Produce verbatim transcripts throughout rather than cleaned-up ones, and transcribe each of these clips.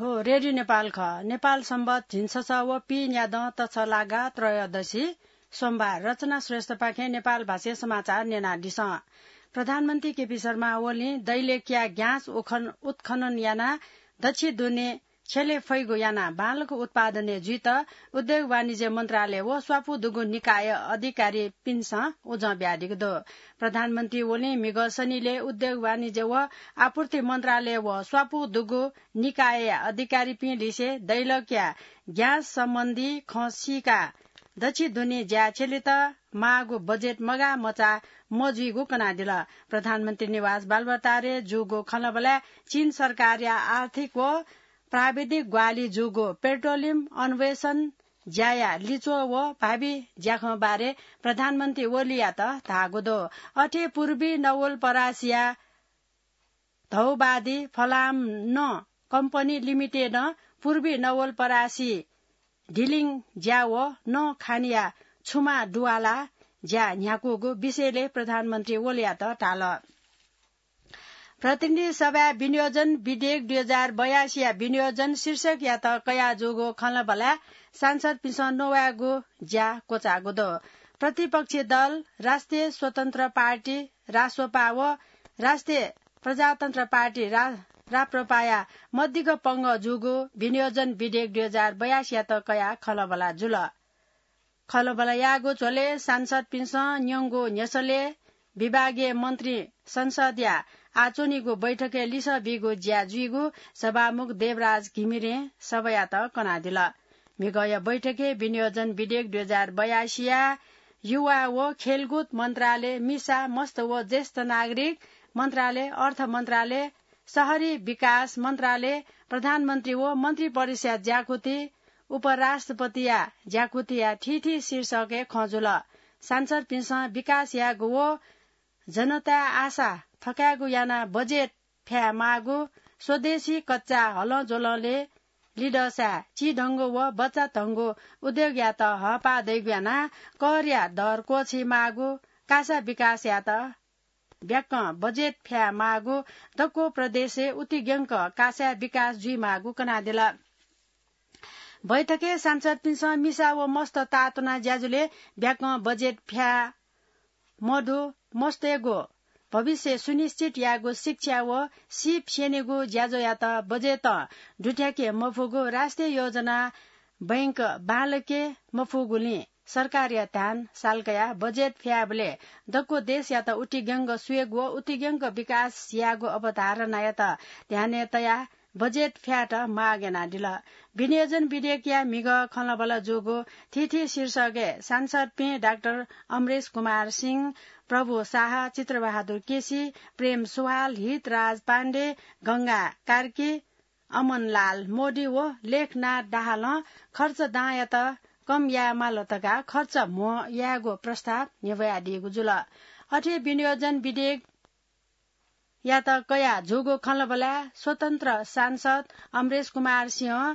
हो, रेडियो नेपाल खः। नेपाल सम्बत झिंछसः व पीन्यादँ तछलागा त्रयोदशी सोमबार। रचना श्रेष्ठपाखें नेपाल भाषाय् समाचार न्यनादिसँ। प्रधानमन्त्री केपी शर्मा ओलीं दैलेखया ग्यास उखन-, उत्खनन यानाः दच्छि दुने छ्यले फइगु यानाः बांलाक उत्पादनय् जुइत उद्योग वाणिज्य मन्त्रालय व स्वापू दुगु निकाय अधिकारीपिन्सं उजं बियादीगु दु। प्रधानमन्त्री ओलीं म्हिगः सनिलय् उद्योग वाणिज्य व आपूर्ति मन्त्रालय व स्वापू दुगु निकायया अधिकारीपिं लिसे दैलेखया ग्यास सम्बन्धी खँ सीकाः दच्छि दुने ज्या छ्यलेत माःगु बजेट मगाः मचाः मजुइगु कनादिल। प्रधानमन्त्री निवास बालुवाटारय् जूगु खँल्हाबल्हाय् चीन सरकारया आर्थिक व प्राविधिक ग्वाहालि जूगु पेट्रोलियम अन्वेषण ज्याया लिच्वः व भावी ज्याखँ बारे प्रधानमन्त्री ओलीयात धाःगु दु। अथे पूर्वी नवलपरासीया धौबादी फलाम नं कम्पनी लिमिटेडं पूर्वी नवलपरासी डिलिङ ज्या व नं खानिया छुमा दुवाला ज्या न्ह्याकूगु विषयले प्रधानमन्त्री ओलीयात धाल। प्रतिनिधि सभाय् विनियोजन विधेयक दुई हजार बयासीया विनियोजन शीर्षकयात कयाजूगु खँल्हाबल्हाय् सांसदपिन्सं नवायेगु ज्या क्वचाःगु दु। प्रतिपक्षी दल राष्ट्रिय स्वतन्त्र पार्टी, रास्वपा, व राष्ट्रिय प्रजातन्त्र पार्टी, रा-, राप्रपाया मदिक्क पंगः जूगु विनियोजन विधेयक दुई हजार बयासीयात कयाः खँल्हाबल्हा जुल। खँल्हाबल्हा याःगु झ्वलय् सांसदपिन्सं न्यंगु न्ह्यसलय् विभागीय मन्त्री संसदया आः च्वनीगु बैठकय् लिसः बीगु ज्या जुइगु सभामुख देवराज घिमिरें सभायात कनादिल। म्हिगःया बैठकय् विनियोजन विधेयक दुई हजार बयासीया युवा व खेलकुद मन्त्रालय, मिसा, मस्त व ज्येष्ठ नागरिक मन्त्रालय, अर्थ मन्त्रालय, शहरी विकास मन्त्रालय, प्रधानमन्त्री व मन्त्री परिषदया ज्याकुथि, उपराष्ट्रपतिया ज्याकुथिया थीथी शीर्षकय् खँ जुल। सांसदपिन्सं विकास यायेगु व जनताया आशा थकायेगु यानाः बजेट फ्याये माःगु, स्वदेशी कच्चा हलंज्वलंलय् लिधःसाय् चिधंगु व बच्चाधंगु उद्योगयात हःपाः दइगु यानाः करया दर क्वःछी माःगु, कासा विकासयात ब्याकं बजेट फ्याये माःगु, दक्व प्रदेशय् उतिग्यंक कासाय् विकास जुइ माःगु कनादिल। बैठकय् सांसदपिन्सं मिसा व मस्त ताःतुना ज्याझ्वलय् ब्याकं बजेट फ्याये मदु, मस्तय्गु भविष्य सुनिश्चित यायेगु, शिक्षा व सीप स्यनेगु ज्याझ्वःयात बजेटं दुथ्याके मफुगु, राष्ट्रिय योजना बैंक बांलाके मफुगुलिं सरकारया ध्यान साल कयाः बजेट फ्यायेबलय् दक्व देशयात उतिग्यंक स्वयेगु व उतिग्यंक विकास यायेगु अवधारणायात ध्यानय् तयाः बजेट फ्यायेत माग यानादिल। विनियोजन विधेयकया म्हिगः खँल्हाबल्हा जूगु थीथी शीर्षकय् सांसदपिं डाक्टर अमरेश कुमार सिंह, प्रभु शाह, चित्रबहादुर केसी, प्रेम सुवाल, हितराज पाण्डे, गंगा कार्की, अमनलाल मोदी व लेखनाथ दाहालं खर्च दांयात कम यायेमाल धकाः खर्च म्हो यायेगु प्रस्ताव न्ह्यब्वयादीगु जुल। अथे विनियोजन विधेयकयात कयाः जूगु खँल्हाबल्हाय् स्वतन्त्र सांसद अमरेश कुमार सिंहं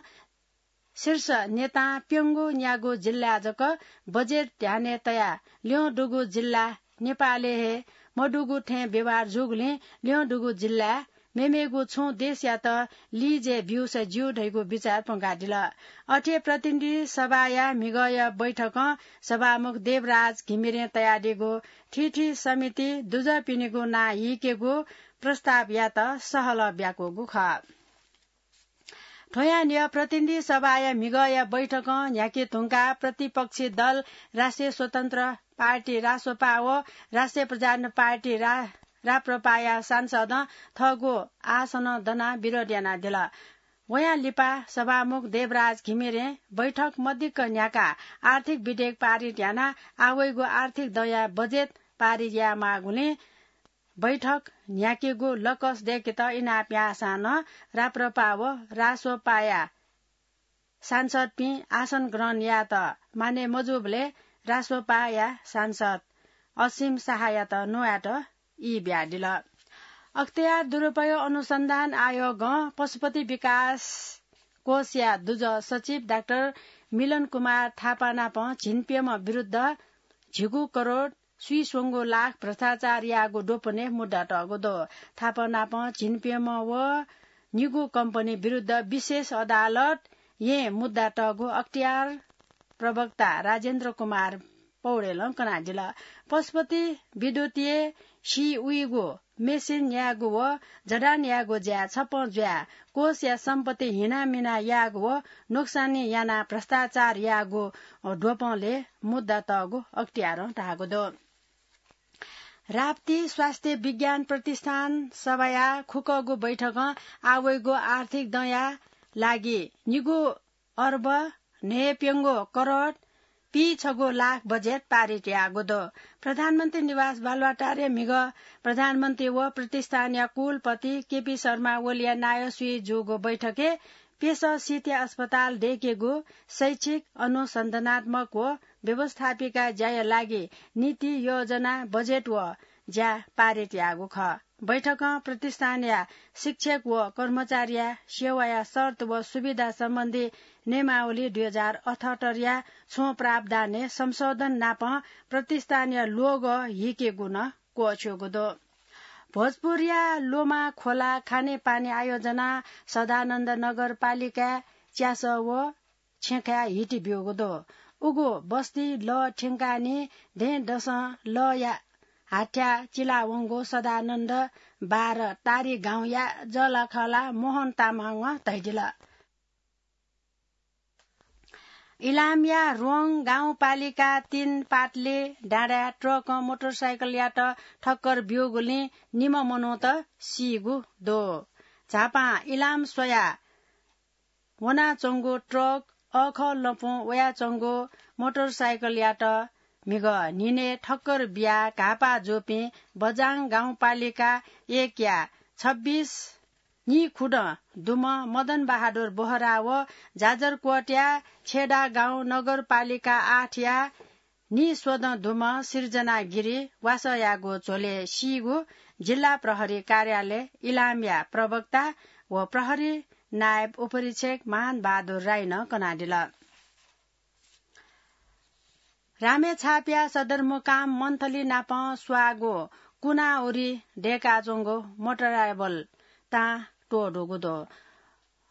शीर्ष नेतां प्यंगू न्यागू जिल्लाय् जक बजेट ध्यानय् तयाः ल्यं दुगु जिल्ला नेपालय् हे मदुगु थें व्यवहार जूगुलिं ल्यं दुगु जिल्लाय् मेमेगु छुं देशयात लिजय् ब्यूसा ज्यू धइगु बिचाः प्वंकादिल। अथे प्रतिनिधि सभाया म्हिगःया बैठकं सभामुख देवराज घिमिरें तयादीगु थीथी समिति दुजःपिनिगु नां हीकेगु प्रस्तावयात सहलह ब्याकूगु खः। थ्वयां न्ह्यः प्रतिनिधि सभाया म्हिगःया बैठकं न्ह्याके धुंकाः प्रतिपक्षी दल राष्ट्रिय स्वतन्त्र पार्टी रासोपा व राष्ट्रिय प्रजातन्त्र पार्टी रा-, राप्रपाया सांसदं थःगु आसनं दनाः विरोध यानादिल। वयां लिपा सभामुख देवराज घिमिरें बैठक मदिक्क न्ह्याकाः आर्थिक विधेयक पारित यानाः आवइगु आर्थिक दँया बजेट पारित यायेमाःगुलिं बैठक न्ह्याकेगु लकस दय्केत इनाप याःसां नं राप्रपा व रासोपाया सांसदपिं आसन ग्रहण यायेत मानय् मजूबलय् रासोपाया सांसद असीम शाहयात नवायेत ई बियादिल। अख्तियार दुरुपयोग अनुसन्धान आयोगं पशुपति विकास कोषया दुजः सचिव डाक्टर मिलन कुमार थापा नाप झिंप्यम्ह विरुद्ध झिगू करोड स्वीस्वंगू लाख भ्रष्टाचार याःगु द्वपनय् मुद्दा तःगु दु। थापा नाप झिंप्यम्ह व निगू कम्पनी विरुद्ध विशेष अदालत यें मुद्दा तःगु अख्तियार प्रवक्ता राजेन्द्र कुमार पौडेलं कनादिल। पशुपति विद्युतीय सी उइगु मेसिन यायेगु व जडान यायेगु ज्या छप्पँ जुयाः कोषया सम्पत्ति हिनामिना यायेगु व नोक्सानी यानाः भ्रष्टाचार याःगु द्वपंले मुद्दा तःगु अख्तियारं धाःगु दु। राप्ती स्वास्थ्य विज्ञान प्रतिष्ठान सभाया खुकःगु बैठकं आवइगु आर्थिक दँया लागि निगू अर्ब न्हय्‌प्यंगू करोड पीछगू लाख बजेट पारित याःगु दु। प्रधानमन्त्री निवास बालुवाटारय् म्हिगः प्रधानमन्त्री व प्रतिष्ठानया कुलपति केपी शर्मा ओलीया नायः सुइ जूगु बैठकय् प्यसः सिथया अस्पताल दय्‌केगु शैक्षिक अनुसन्धानात्मक व व्यवस्थापिका ज्याया लागि नीति योजना बजेट व ज्या पारित याःगु खः। बैठकं प्रतिष्ठानया शिक्षक व कर्मचारीया सेवाया शर्त व सुविधा सम्बन्धी नियमावली दुई हजार अठहत्तरया छुं प्रावधानय् संशोधन नापं प्रतिष्ठानया लोगो हिकेगु नं क्वःछ्यूगु दु। भोजपुरया लोमा खोला खानेपानी आयोजना सदानन्द नगरपालिकाय् च्यासः व छेँखाय् हिति ब्यूगु दु। उगु बस्ती लः थ्यंकाः निं दँय्‌दसं लःया हाथ्याः चिलावंगु सदानन्द बाह्र तारी गाउँया जःलाखःला मोहन तामाङं धयादिल। इलामया रोङ गाउँपालिका तीन पाटले डाँडाय् ट्रकं मोटरसाइकलयात ठक्कर ब्यूगुलिं निम्ह मनूत सीगु दु। झापां इलाम स्वयाः वनाच्वंगु ट्रक अःखः लँपुं वयाच्वंगु मोटरसाइकलयात म्हिगः न्हिनय् ठक्कर बियाः घाःपाः जूपिं बजाङ गाउँपालिका एकया छब्बिस निखुदँ दुम्ह मदन बहादुर बोहरा व जाजरकोटया छेडागाउँ नगरपालिका आठया निस्वदँ दुम्ह सिर्जना गिरी वासःयागु झ्वलय् सीगु जिल्ला प्रहरी कार्यालय इलामया प्रवक्ता व प्रहरी नायब उपरीक्षक मान बहादुर राईनं कनादिल। रामेछापया सदरमुकाम मन्थली नाप स्वाःगु कुनाउरी दय्‌काच्वंगु मोटराइबल तां त्वःदुगु दु।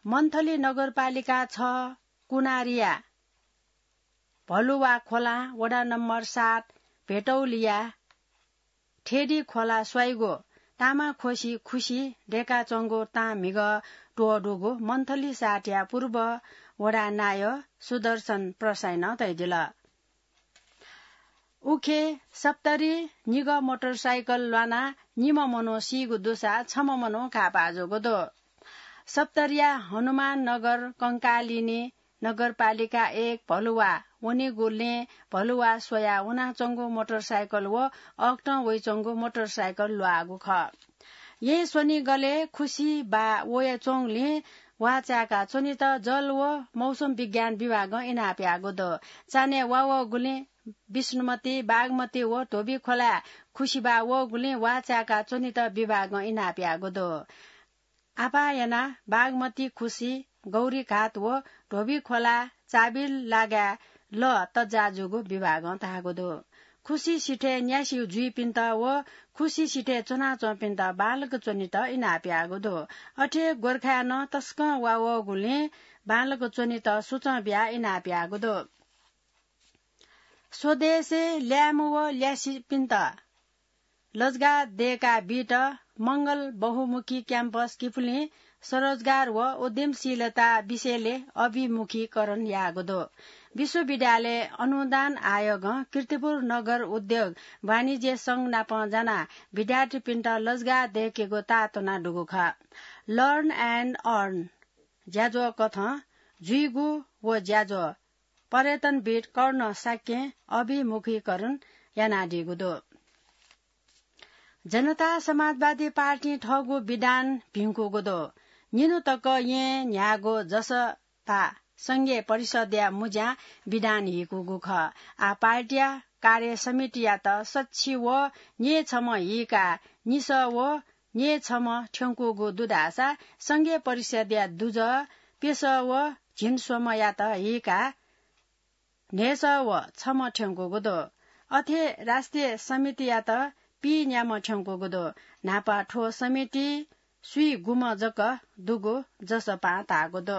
मन्थली नगरपालिका छ कुनारिया भलुवा खोलां वडा नम्बर सात भेटौलिया ठेडी खोला स्वाइगु तामाखोसी खुसी दय्‌काच्वंगु तां म्हिगः त्वःदुगु मन्थली सातया पूर्व वडा नायः सुदर्शन प्रसाईनं धयादिल। उखे सप्तरी निगः मोटरसाइकल ल्वानाः निम्ह मनू सीगु दुसा छम्ह मनू घाःपाः जूगु दु। सप्तरीया हनुमान नगर कंकालिनी नगरपालिका एक भलुवा वनीगुलिं भलुवा स्वयाः वनाच्वंगु मोटरसाइकल व अःखतं वइच्वंगु मोटरसाइकल ल्वाःगु खः। येँ स्वनिगलय् खुसी बाः वयाच्वंगुलिं वाःचाय्‌का च्वनेत जल व मौसम विज्ञान विभागं इनाप याःगु दु। चान्हय् वा वःगुलिं विष्णुमती, बागमती व धोबी खोलाय् खुसी बाः वःगुलिं वाःचाय्‌का च्वनेत विभागं इनाप याःगु दु। आपाः यानाः बागमती खुसी, गौरीघाट व धोबी खोला चाबिल लागाय् लः तज्जा जूगु विभागं धाःगु दु। खुसी सिथय् न्यासि जुइपिन्त व खुसी सिथय् च्वनाच्वंपिन्त बांलाक च्वनेत इनाप याःगु दु। अथे गोर्खाय् नं तसकं वा वःगुलिं बांलाक च्वनेत सुचं बियाः इनाप याःगु दु। स्वदेशय् ल्याय्म्ह व ल्यासिपिन्त लजगाः दय्‌का बीत मंगल बहुमुखी क्याम्पस किपुलिं स्वरोजगार व उद्यमशीलता विषयले अभिमुखीकरण याःगु दु। विश्वविद्यालय अनुदान आयोगं कीर्तिपुर नगर उद्योग वाणिज्य संघ नाप जानाः विद्यार्थीपिन्त लजगाः दय्‌केगु ताःतुना दुगु खः। Learn and Earn ज्याझ्वः कथं जुइगु व ज्याझ्वः पर्यटनविद् कर्ण शाक्यं अभिमुखीकरण यानादीगु दु। जनता समाजवादी पार्टीं थःगु विधान भिंकूगु दु। निन्हु तक येँ न्ह्याःगु जसपा संघीय परिषदया मुँज्यां विधान हीकूगु खः। आः पार्टीया कार्य समितियात सच्छि व न्यय्‌छम्ह हीकाः निसः व न्यय्‌छम्ह थ्यंकूगु दु धाःसा संघीय परिषदया दुजः प्यसः व झिंस्वम्हयात हीकाः न्हय्‌सः व छम्ह थ्यंकूगु दु। अथे राष्ट्रिय समितियात पीन्याम्ह थ्यंकूगु दु। न्हापा थ्व समिति स्वीगुम्ह जक दुगु जसपां धाःगु दु।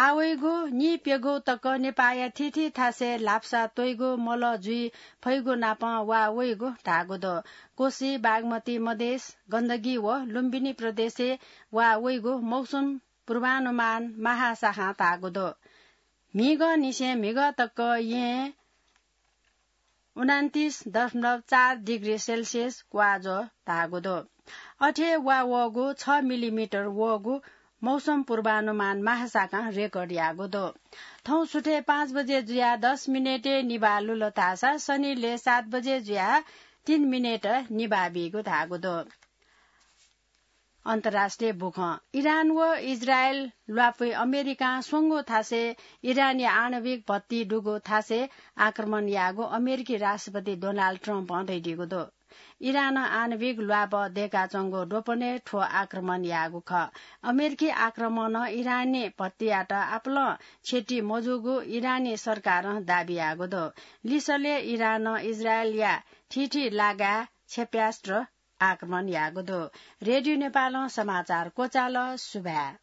आवइगु निप्यगु तक नेपाःया थीथी थासय् लाप्सा त्वइगु मल जुइ फइगु नापं वा वइगु धाःगु दु। कोशी, बागमती, मधेस, गण्डकी व लुम्बिनी प्रदेशय् वा वइगु मौसम पूर्वानुमान महाशाखां धाःगु दु। म्हिगः निसें म्हिगः तक यें उनान्तिस दशमलव चार डिग्री सेल्सियस क्वाज्वः धाःगु दु। अथे वा वःगु छ मिलिमिटर वःगु मौसम पूर्वानुमान महाशाखां रेकर्ड याःगु दु। थौं सुथय् पाँच बजे जुयाः दस मिनेटय् निभाः लुल धाःसा शनिलय् सात बजे जुयाः तीन मिनेट निभाः बीगु धाःगु दु। अन्तर्राष्ट्रिय बुखँ। इरान व इजरायल ल्वापुइ अमेरिकां स्वंगू थासय् इरानया आणविक भट्टी दुगु थासय् आक्रमण याःगु अमेरिकी राष्ट्रपति डोनाल्ड ट्रम्पं धयादीगु दु। इरानं आणविक ल्वापः दय्काच्वंगु द्वपनय् थ्व आक्रमण याःगु खः। अमेरिकी आक्रमणं इरानी भट्टीयात आपालं क्षति मजूगु इरानी सरकारं दाबी याःगु दु। लिसलय् इरानं इजरायलया थीथी लागाय् क्षेप्यास्त्र आक्रमण याःगु दु। रेडियो नेपालं समाचार क्वचाल। सुभाय्।